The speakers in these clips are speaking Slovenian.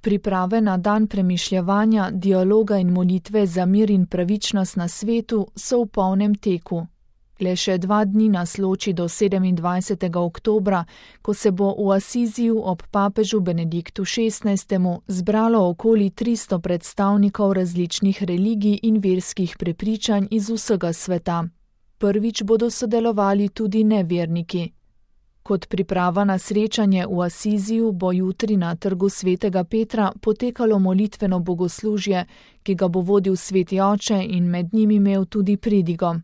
Priprave na dan premišljevanja, dialoga in molitve za mir in pravičnost na svetu so v polnem teku. Le še 2 dni nas loči do 27. oktobra, ko se bo v Asiziju ob papežu Benediktu XVI. Zbralo okoli 300 predstavnikov različnih religij in verskih prepričanj iz vsega sveta. Prvič bodo sodelovali tudi neverniki. Kot priprava na srečanje v Asiziju bo jutri na trgu svetega Petra potekalo molitveno bogoslužje, ki ga bo vodil sveti oče in med njim imel tudi pridigo.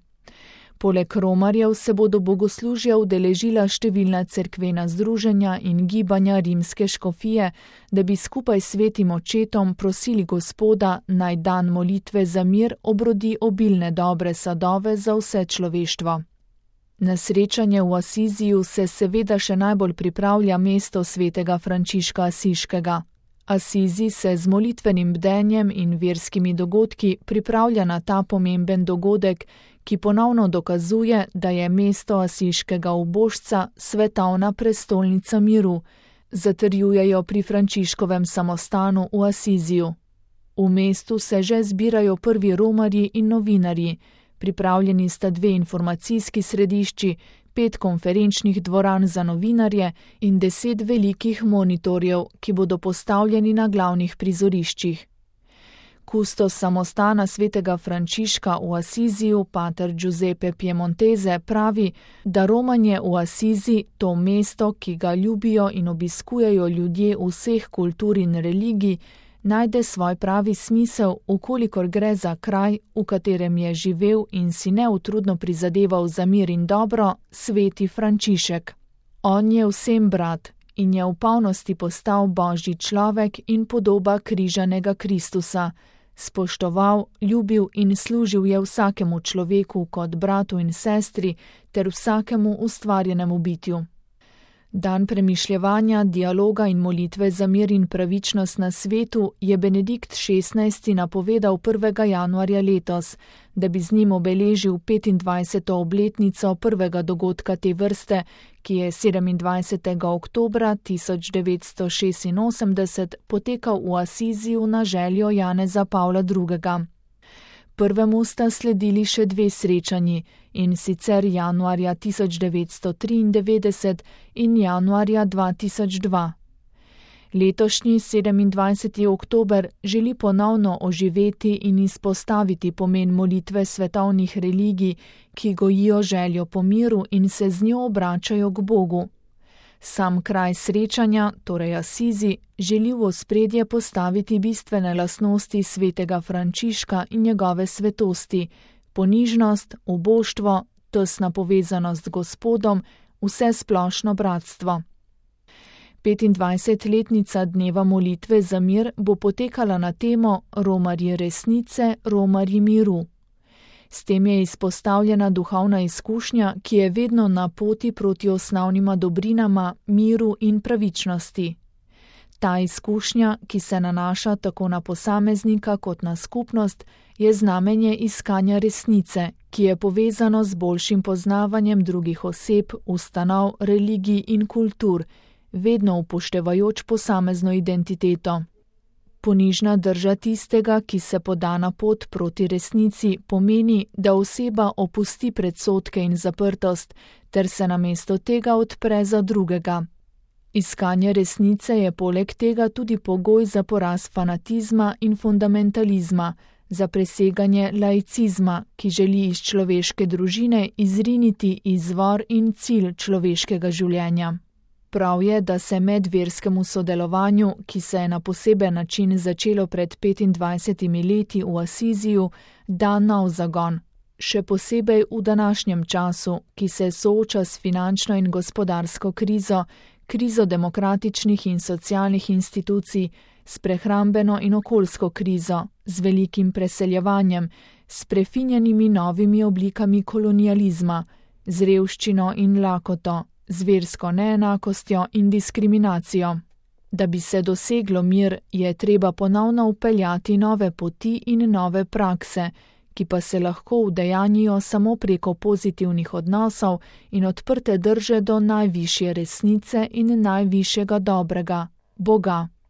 Poleg romarjev se bodo bogoslužja udeležila številna cerkvena združenja in gibanja rimske škofije, da bi skupaj s svetim očetom prosili Gospoda, naj dan molitve za mir obrodi obilne dobre sadove za vse človeštvo. Na srečanje v Asiziju se seveda še najbolj pripravlja mesto svetega Frančiška Asiškega. Asizi se z molitvenim bdenjem in verskimi dogodki pripravlja na ta pomemben dogodek, ki ponovno dokazuje, da je mesto Asiškega ubožca svetovna prestolnica miru, zatrjujejo pri Frančiškovem samostanu v Asiziju. V mestu se že zbirajo prvi romarji in novinarji, pripravljeni sta 2 informacijski središči, 5 konferenčnih dvoran za novinarje in 10 velikih monitorjev, ki bodo postavljeni na glavnih prizoriščih. Kustos samostana svetega Frančiška v Asiziju, pater Giuseppe Piemontese, pravi, da romanje v Asizi, to mesto, ki ga ljubijo in obiskujejo ljudje vseh kultur in religij, najde svoj pravi smisel, ukolikor gre za kraj, v katerem je živel in si neutrudno prizadeval za mir in dobro, sveti Frančišek. On je vsem brat in je v polnosti postal Božji človek in podoba križanega Kristusa. Spoštoval, ljubil in služil je vsakemu človeku kot bratu in sestri ter vsakemu ustvarjenemu bitju. Dan premišljevanja, dialoga in molitve za mir in pravičnost na svetu je Benedikt XVI. Napovedal 1. januarja letos, da bi z njim obeležil 25. obletnico prvega dogodka te vrste, ki je 27. oktobra 1986 potekal v Asiziju na željo Janeza Pavla II. Prvemu sta sledili še 2 srečanji, in sicer januarja 1993 in januarja 2002. Letošnji 27. oktober želi ponovno oživeti in izpostaviti pomen molitve svetovnih religij, ki gojijo željo po miru in se z njo obračajo k Bogu. Sam kraj srečanja, torej Asizi, želi v ospredje postaviti bistvene lastnosti svetega Frančiška in njegove svetosti, ponižnost, uboštvo, tesna povezanost z Gospodom, vsesplošno bratstvo. 25-letnica dneva molitve za mir bo potekala na temo Romarji resnice, Romarji miru. S tem je izpostavljena duhovna izkušnja, ki je vedno na poti proti osnovnima dobrinama, miru in pravičnosti. Ta izkušnja, ki se nanaša tako na posameznika kot na skupnost, je znamenje iskanja resnice, ki je povezano z boljšim poznavanjem drugih oseb, ustanov, religij in kultur, vedno upoštevajoč posamezno identiteto. Ponižna drža tistega, ki se poda na pot proti resnici, pomeni, da oseba opusti predsodke in zaprtost, ter se namesto tega odpre za drugega. Iskanje resnice je poleg tega tudi pogoj za poraz fanatizma in fundamentalizma, za preseganje laicizma, ki želi iz človeške družine izriniti izvor in cilj človeškega življenja. Prav je, da se medverskemu sodelovanju, ki se je na poseben način začelo pred 25 leti v Asiziju, da nov zagon, še posebej v današnjem času, ki se sooča s finančno in gospodarsko krizo, krizo demokratičnih in socialnih institucij, s prehrambeno in okoljsko krizo, z velikim preseljevanjem, s prefinjenimi novimi oblikami kolonializma, z revščino in lakoto, z versko neenakostjo in diskriminacijo. Da bi se doseglo mir, je treba ponovno vpeljati nove poti in nove prakse, ki pa se lahko udejanjijo samo preko pozitivnih odnosov in odprte drže do najvišje resnice in najvišjega dobrega, Boga.